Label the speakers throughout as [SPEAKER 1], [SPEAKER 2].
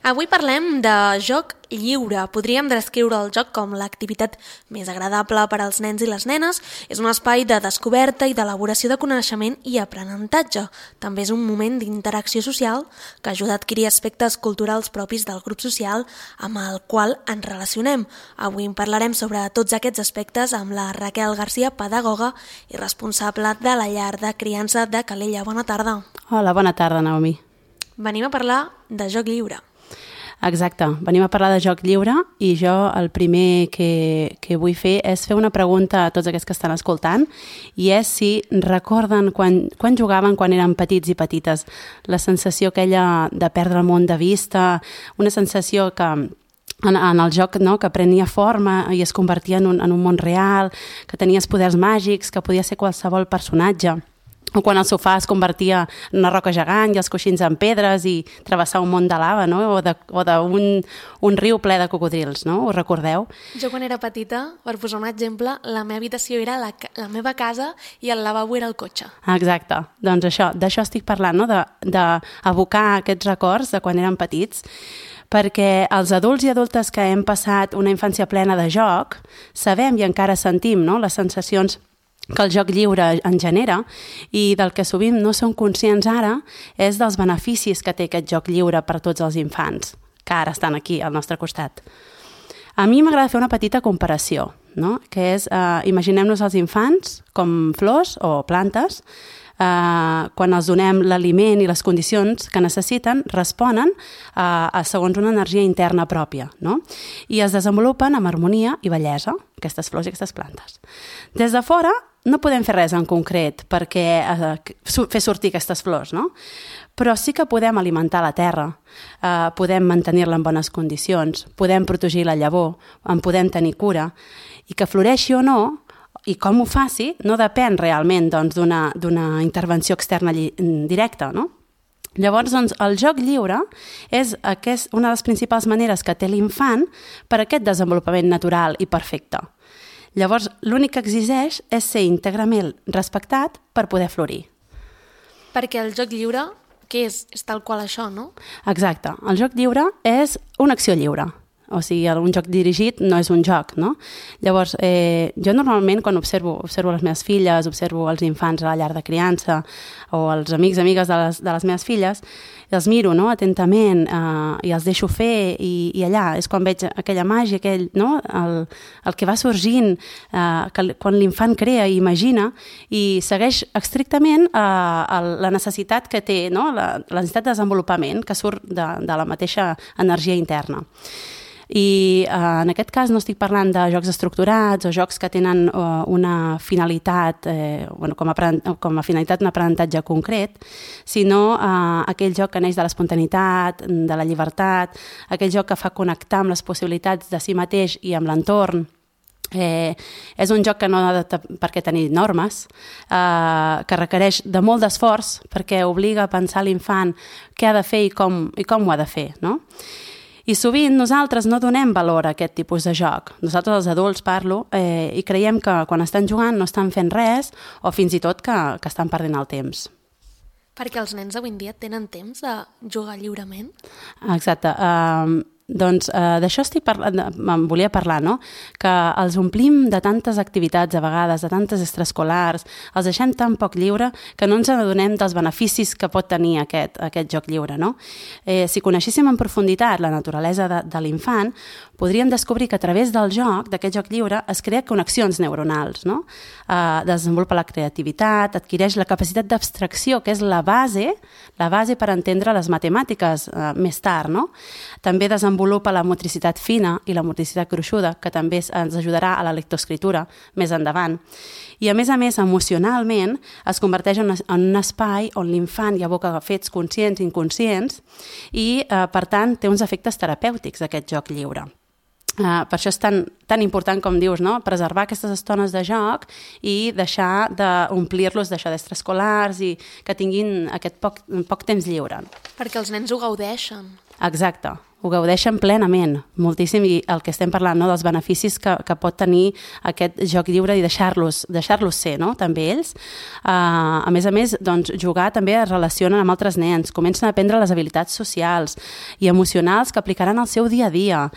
[SPEAKER 1] Avui parlem de joc lliure. Podríem descriure el joc com l'activitat més agradable per als nens i les nenes. És un espai de descoberta i d'elaboració de coneixement i aprenentatge. També és un moment d'interacció social que ajuda a adquirir aspectes culturals propis del grup social amb el qual ens relacionem. Avui en parlarem sobre tots aquests aspectes amb la Raquel Garcia, pedagoga i responsable de la llar de criança de Calella. Bona tarda.
[SPEAKER 2] Hola, bona tarda, Naomi.
[SPEAKER 1] Venim a parlar de joc lliure.
[SPEAKER 2] Exacte, venim a parlar de joc lliure i jo el primer que vull fer és fer una pregunta a tots aquests que estan escoltant i és si recorden quan jugaven quan eren petits i petites, la sensació aquella de perdre el món de vista, una sensació que en el joc que prenia forma i es convertia en un món real, que tenies poders màgics, que podia ser qualsevol personatge. O quan el sofà es convertia en una roca gegant i els coixins en pedres i travessar un món de lava, no? o d'un riu ple de cocodrils, no? Ho recordeu?
[SPEAKER 1] Jo quan era petita, per posar un exemple, la meva habitació era la meva casa i el lavabo era el cotxe.
[SPEAKER 2] Exacte, doncs d'això estic parlant, no? D'abocar aquests records de quan eren petits, perquè els adults i adultes que hem passat una infància plena de joc sabem i encara sentim, no? Les sensacions que el joc lliure en genera i del que sovint no som conscients ara és dels beneficis que té aquest joc lliure per a tots els infants, que ara estan aquí al nostre costat. A mi m'agrada fer una petita comparació, no? Que és, imaginem-nos els infants com flors o plantes, quan els donem l'aliment i les condicions que necessiten, responen segons una energia interna pròpia, no? I es desenvolupen amb harmonia i bellesa, aquestes flors i aquestes plantes. Des de fora no podem fer res en concret perquè fer sortir aquestes flors, no? Però sí que podem alimentar la terra, podem mantenir-la en bones condicions, podem protegir la llavor, en podem tenir cura, i que floreixi o no, i com ho faci, no depèn realment d'una intervenció externa directa, no? Llavors, doncs, el joc lliure és una de les principals maneres que té l'infant per a aquest desenvolupament natural i perfecte. Llavors, l'únic que exigeix és ser íntegrament respectat per poder florir.
[SPEAKER 1] Perquè el joc lliure, què és? És tal qual això, no?
[SPEAKER 2] Exacte. El joc lliure és una acció lliure. O sigui, un joc dirigit no és un joc, no? Llavors, jo normalment quan observo les meves filles, observo els infants a la llar de criança o els amics i amigues de les meves filles, els miro, no?, atentament i els deixo fer i allà és quan veig aquella màgia, no?, el que va sorgint, quan l'infant crea i imagina i segueix estrictament la necessitat que té, no?, la necessitat de desenvolupament que surt de la mateixa energia interna. I en aquest cas no estic parlant de jocs estructurats o jocs que tenen una finalitat, com a finalitat un aprenentatge concret, sinó aquell joc que neix de l'espontaneïtat, de la llibertat, aquell joc que fa connectar amb les possibilitats de si mateix i amb l'entorn. És un joc que no ha per què tenir normes, que requereix de molt d'esforç perquè obliga a pensar l'infant què ha de fer i com ho ha de fer, no? I sovint nosaltres no donem valor a aquest tipus de joc. Nosaltres, els adults, parlo, i creiem que quan estan jugant no estan fent res o fins i tot que estan perdent el temps.
[SPEAKER 1] Perquè els nens avui en dia tenen temps de jugar lliurement?
[SPEAKER 2] Exacte. Doncs d'això em volia parlar, no? Que els omplim de tantes activitats a vegades, de tantes extraescolars, els deixem tan poc lliure que no ens adonem dels beneficis que pot tenir aquest joc lliure, no? Si coneixéssim en profunditat la naturalesa de l'infant, podríem descobrir que a través del joc, d'aquest joc lliure, es crea connexions neuronals, no? Desenvolupa la creativitat, adquireix la capacitat d'abstracció, que és la base per entendre les matemàtiques més tard, no? També desenvolupa la motricitat fina i la motricitat gruixuda, que també ens ajudarà a la lectoescriptura més endavant. I a més, emocionalment es converteix en un espai on l'infant hi aboca fets conscients i inconscients i, per tant, té uns efectes terapèutics aquest joc lliure. Per això és tan important, com dius, no?, preservar aquestes estones de joc i deixar d'omplir-los d'això d'extraescolars i que tinguin aquest poc temps lliure.
[SPEAKER 1] Perquè els nens ho gaudeixen.
[SPEAKER 2] Exacte. ho gaudeixen plenament, moltíssim, i el que estem parlant, no?, dels beneficis que pot tenir aquest joc lliure i deixar-los ser, no?, també ells. A més, doncs, jugar també es relacionen amb altres nens, comencen a aprendre les habilitats socials i emocionals que aplicaran al seu dia a dia.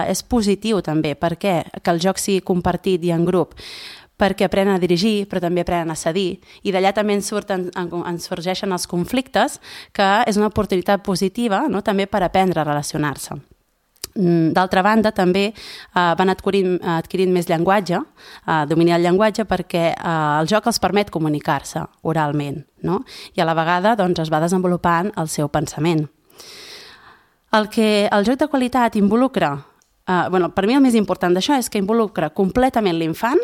[SPEAKER 2] És positiu també, perquè que el joc sigui compartit i en grup, perquè aprenen a dirigir, però també aprenen a cedir, i d'allà també ens sorgeixen els conflictes, que és una oportunitat positiva, no?, també per aprendre a relacionar-se. D'altra banda, també van adquirint més llenguatge, domini el llenguatge, perquè el joc els permet comunicar-se oralment, no?, i a la vegada doncs, es va desenvolupant el seu pensament. El que el joc de qualitat involucra, per mi el més important d'això és que involucra completament l'infant,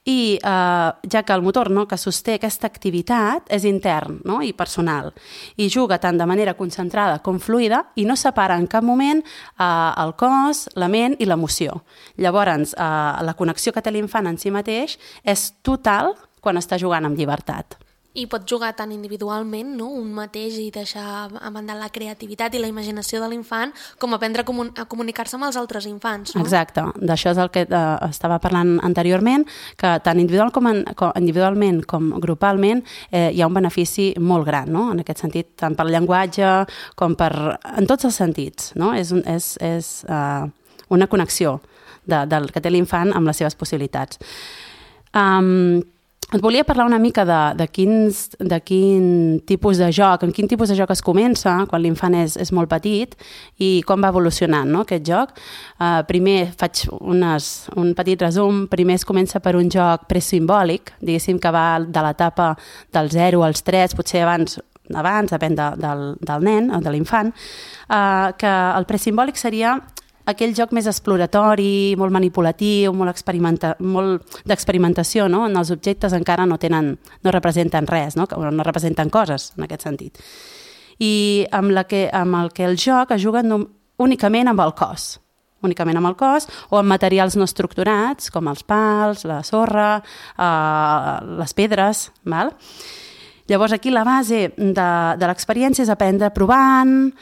[SPEAKER 2] i ja que el motor, no?, que sosté aquesta activitat és intern, no?, i personal, i juga tant de manera concentrada com fluida i no separa en cap moment el cos, la ment i l'emoció. Llavors, la connexió que té l'infant en si mateix és total quan està jugant amb llibertat.
[SPEAKER 1] I pot jugar tant individualment, no?, un mateix, i deixar a banda la creativitat i la imaginació de l'infant, com aprendre a comunicar-se amb els altres infants, no?
[SPEAKER 2] Exacte, d'això és el que estava parlant anteriorment, que tant individualment com grupalment hi ha un benefici molt gran, no?, en aquest sentit, tant per llenguatge com en tots els sentits, no? És una connexió del que té l'infant amb les seves possibilitats. Et volia parlar una mica de quin tipus de joc, en quin tipus de joc es comença quan l'infant és molt petit i com va evolucionant, no?, aquest joc. Primer faig un petit resum. Primer es comença per un joc presimbòlic, diguéssim que va de l'etapa del 0 als 3, potser abans, depèn del nen o de l'infant, que el presimbòlic seria aquell joc més exploratori, molt manipulatiu, molt d'experimentació, no?, on els objectes encara no representen res, no?, no representen coses, en aquest sentit. I amb el que el joc es juga únicament amb el cos, o amb materials no estructurats, com els pals, la sorra, les pedres, val? Llavors aquí la base de l'experiència és aprendre provant,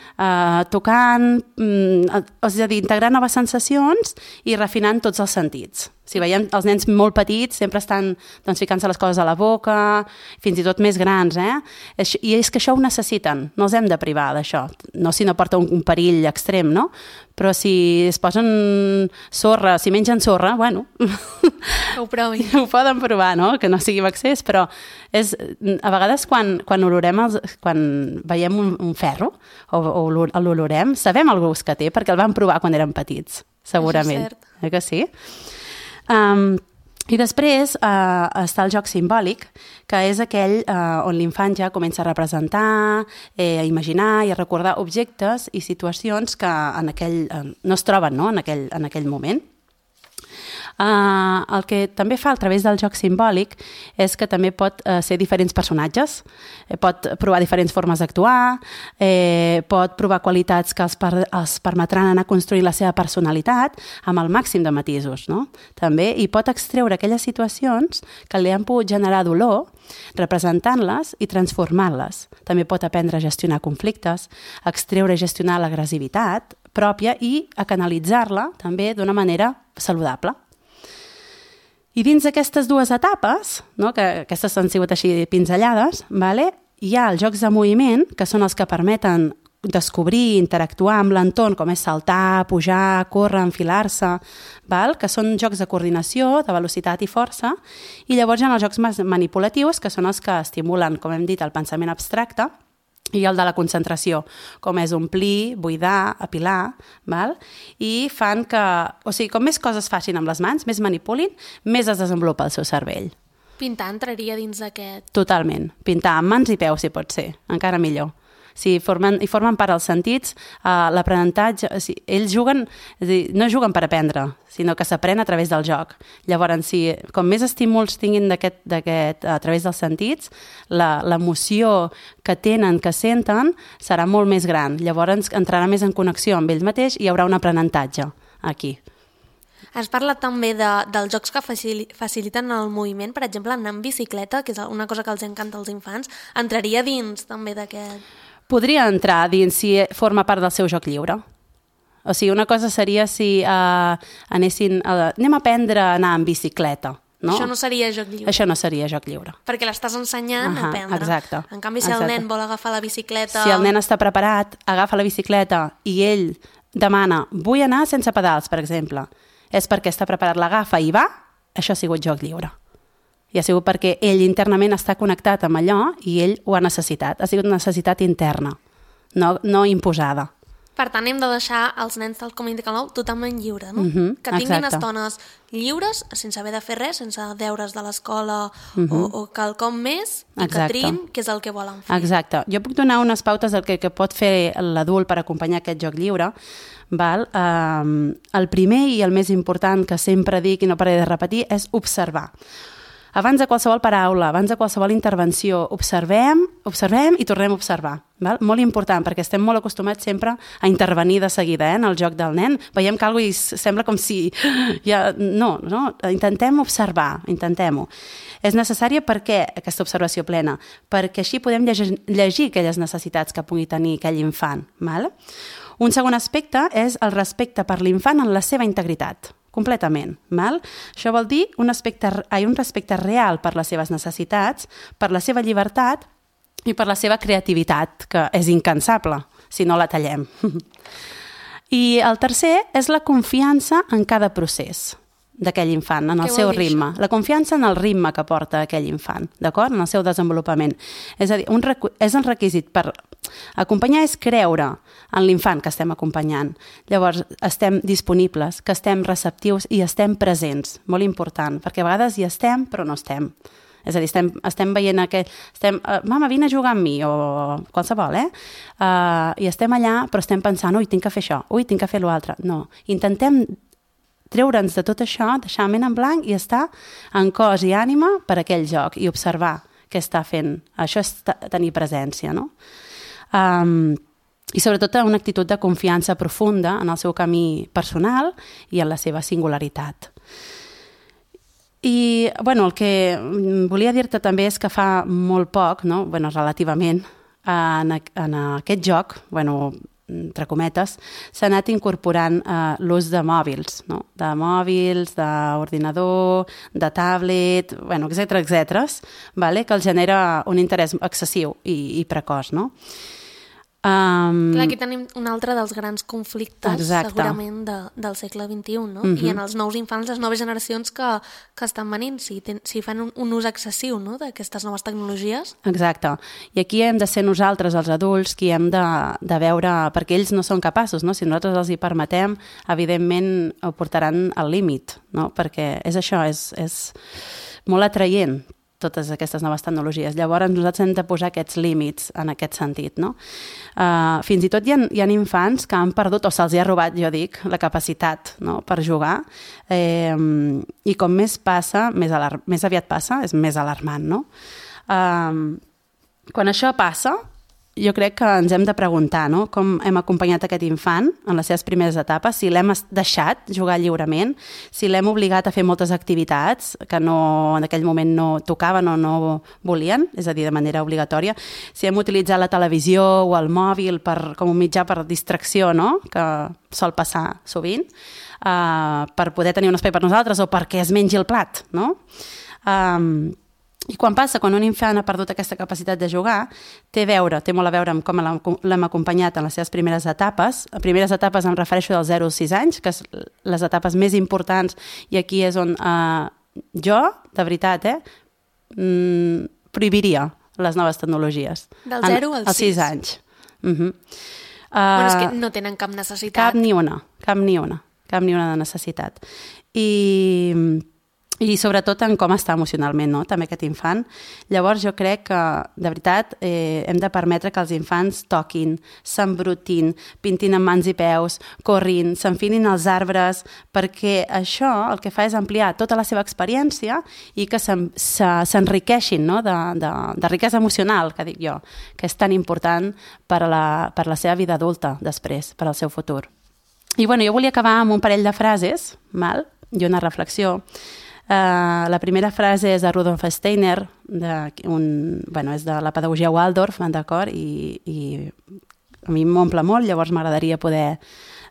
[SPEAKER 2] tocant, és a dir, integrant noves sensacions i refinant tots els sentits. Si veiem els nens molt petits sempre estan ficant-se les coses a la boca, fins i tot més grans, i és que això ho necessiten, no els hem de privar d'això, no si no porta un perill extrem, no? Però si es posen sorra, si mengen sorra, bueno,
[SPEAKER 1] ho provin.
[SPEAKER 2] Ho poden provar, no? Que no sigui amb excés, però a vegades quan veiem un ferro o l'olorem, sabem el gust que té perquè el vam provar quan érem petits, segurament.
[SPEAKER 1] Això és cert.
[SPEAKER 2] Que sí? I després està el joc simbòlic, que és aquell on l'infant ja comença a representar, a imaginar i a recordar objectes i situacions que no es troben, no?, en aquell moment. El que també fa a través del joc simbòlic és que també pot ser diferents personatges, pot provar diferents formes d'actuar, pot provar qualitats que els permetran anar construint la seva personalitat amb el màxim de matisos, no? També, i pot extreure aquelles situacions que li han pogut generar dolor, representant-les i transformant-les. També pot aprendre a gestionar conflictes, extreure i gestionar l'agressivitat pròpia i a canalitzar-la també d'una manera saludable. I dins d'aquestes dues etapes, no, que aquestes han sigut així pinzellades, hi ha els jocs de moviment, que són els que permeten descobrir, interactuar amb l'entorn, com és saltar, pujar, córrer, enfilar-se, que són jocs de coordinació, de velocitat i força, i llavors hi ha els jocs manipulatius, que són els que estimulen, com hem dit, el pensament abstracte, i el de la concentració, com és omplir, buidar, apilar, i fan que, o sigui, com més coses facin amb les mans, més manipulin, més es desenvolupa el seu cervell.
[SPEAKER 1] Pintar entraria dins d'aquest...
[SPEAKER 2] Totalment. Pintar amb mans i peus, si pot ser, encara millor. Si formen part dels sentits, l'aprenentatge, ells juguen, és a dir, no juguen per aprendre, sinó que s'aprèn a través del joc. Llavors, com més estímuls tinguin a través dels sentits, l'emoció que tenen, que senten, serà molt més gran. Llavors entrarà més en connexió amb ells mateix i hi haurà un aprenentatge aquí.
[SPEAKER 1] Has parlat també dels jocs que faciliten el moviment, per exemple, anar en bicicleta, que és una cosa que els encanta als infants. Entraria dins també d'aquest...
[SPEAKER 2] Podria entrar dins si forma part del seu joc lliure. O sigui, una cosa seria si anem a aprendre a anar en bicicleta. No?
[SPEAKER 1] Això no seria joc lliure.
[SPEAKER 2] Això no seria joc lliure.
[SPEAKER 1] Perquè l'estàs ensenyant a aprendre.
[SPEAKER 2] Exacte.
[SPEAKER 1] En canvi, si el nen vol agafar la bicicleta...
[SPEAKER 2] Si el nen està preparat, agafa la bicicleta i ell demana, vull anar sense pedals, per exemple. És perquè està preparat, l'agafa i va, això ha sigut joc lliure. I ha sigut perquè ell internament està connectat amb allò i ell ho ha necessitat. Ha sigut una necessitat interna, no imposada.
[SPEAKER 1] Per tant, hem de deixar els nens tal com indica el nom totalment lliure, no? Que tinguin estones lliures, sense haver de fer res, sense deures de l'escola o quelcom més, i que triïn què és el que volen fer.
[SPEAKER 2] Exacte. Jo puc donar unes pautes del que pot fer l'adult per acompanyar aquest joc lliure. Val? El primer i el més important que sempre dic i no pararé de repetir és observar. Abans de qualsevol paraula, abans de qualsevol intervenció, observem i tornem a observar. Val? Molt important, perquè estem molt acostumats sempre a intervenir de seguida en el joc del nen. Veiem que alguna cosa sembla com si... No, intentem observar, intentem-ho. És necessària per què aquesta observació plena? Perquè així podem llegir aquelles necessitats que pugui tenir aquell infant. Val? Un segon aspecte és el respecte per l'infant en la seva integritat. Completament. Val? Això vol dir un respecte real per les seves necessitats, per la seva llibertat i per la seva creativitat, que és incansable si no la tallem. I el tercer és la confiança en cada procés d'aquell infant, en el seu ritme. La confiança en el ritme que porta aquell infant, d'acord? En el seu desenvolupament. És a dir, és un requisit per acompanyar és creure en l'infant que estem acompanyant. Llavors, estem disponibles, que estem receptius i estem presents. Molt important, perquè a vegades hi estem, però no estem. És a dir, estem veient mama, vine a jugar amb mi, o qualsevol, i estem allà, però estem pensant, ui, tinc que fer això, ui, tinc que fer l'altre. No, intentem treure'ns de tot això, deixar ment en blanc i estar en cos i ànima per aquell joc i observar què està fent. Això és tenir presència, no? I sobretot una actitud de confiança profunda en el seu camí personal i en la seva singularitat. I, bueno, el que volia dir-te també és que fa molt poc, no? Bueno, relativament, en aquest joc, bueno, entre cometes, s'ha anat incorporant l'ús de mòbils, no? De mòbils, d'ordinador, de tablet, bueno, etcètera, vale? Que els genera un interès excessiu i precoç, no?
[SPEAKER 1] Clar, aquí tenim un altre dels grans conflictes, segurament, del segle XXI, no? I en els nous infants, les noves generacions que estan venint, si fan un ús excessiu, no?, d'aquestes noves tecnologies.
[SPEAKER 2] Exacte. I aquí hem de ser nosaltres, els adults, qui hem de veure, perquè ells no són capaços, no? Si nosaltres els hi permetem, evidentment ho portaran al límit, no? Perquè és això, és molt atraient totes aquestes noves tecnologies. Llavors, nosaltres hem de posar aquests límits en aquest sentit, no? Fins i tot hi ha infants que han perdut, o se'ls ha robat, jo dic, la capacitat, no?, per jugar, i com més passa, més aviat passa, és més alarmant, no? Quan això passa, jo crec que ens hem de preguntar, no?, com hem acompanyat aquest infant en les seves primeres etapes, si l'hem deixat jugar lliurement, si l'hem obligat a fer moltes activitats que en aquell moment no tocaven o no volien, és a dir, de manera obligatòria, si hem utilitzat la televisió o el mòbil com un mitjà per distracció, no?, que sol passar sovint, per poder tenir un espai per nosaltres o perquè es mengi el plat, no? I quan un infant ha perdut aquesta capacitat de jugar, té molt a veure amb com l'hem acompanyat en les seves primeres etapes. A primeres etapes em refereixo dels 0 als 6 anys, que és les etapes més importants, i aquí és on jo, de veritat, prohibiria les noves tecnologies.
[SPEAKER 1] Del 0 als
[SPEAKER 2] 6 anys.
[SPEAKER 1] Bueno, és que no tenen cap necessitat.
[SPEAKER 2] Cap ni una de necessitat. I sobretot en com està emocionalment, no?, també aquest infant. Llavors jo crec que, de veritat, hem de permetre que els infants toquin, s'embrutin, pintin amb mans i peus, corrin, s'enfinin als arbres, perquè això el que fa és ampliar tota la seva experiència i que s'enriqueixin, no?, de riquesa emocional, que dic jo, que és tan important per la seva vida adulta després, per al seu futur. I bueno, jo volia acabar amb un parell de frases, i una reflexió. La primera frase és de Rudolf Steiner, és de la pedagogia Waldorf, d'acord? I a mi m'omple molt, llavors m'agradaria poder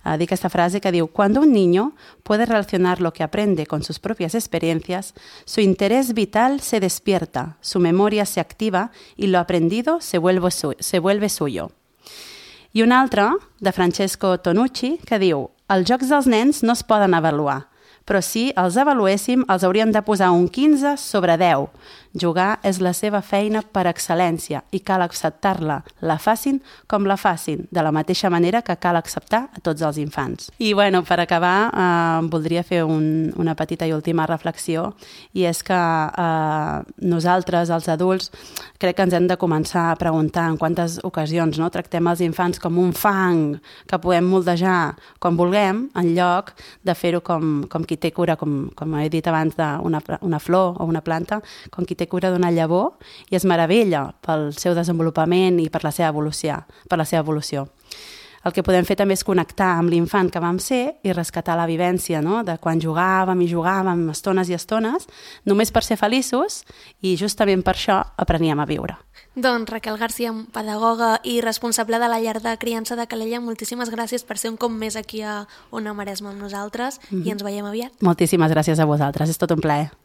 [SPEAKER 2] dir aquesta frase que diu: Cuando un niño puede relacionar lo que aprende con sus propias experiencias, su interés vital se despierta, su memoria se activa y lo aprendido se vuelve suyo. I un altre, de Francesco Tonucci, que diu: els jocs dels nens no es poden avaluar, però si els avaluéssim els hauríem de posar un 15 sobre 10. Jugar és la seva feina per excel·lència i cal acceptar-la, la facin com la facin, de la mateixa manera que cal acceptar a tots els infants. I bueno, per acabar, voldria fer una petita i última reflexió, i és que nosaltres, els adults, crec que ens hem de començar a preguntar en quantes ocasions tractem els infants com un fang que podem moldejar com vulguem, en lloc de fer-ho com qui té cura, com he dit abans, d'una flor o una planta, com qui té cura d'una llavor i es meravella pel seu desenvolupament i per la seva evolució. El que podem fer també és connectar amb l'infant que vam ser i rescatar la vivència, de quan jugàvem estones i estones, només per ser feliços, i justament per això apreníem a viure.
[SPEAKER 1] Doncs Raquel Garcia, pedagoga i responsable de la llar de criança de Calella, moltíssimes gràcies per ser un cop més aquí a Ona Maresma amb nosaltres i ens veiem aviat.
[SPEAKER 2] Moltíssimes gràcies a vosaltres, és tot un plaer.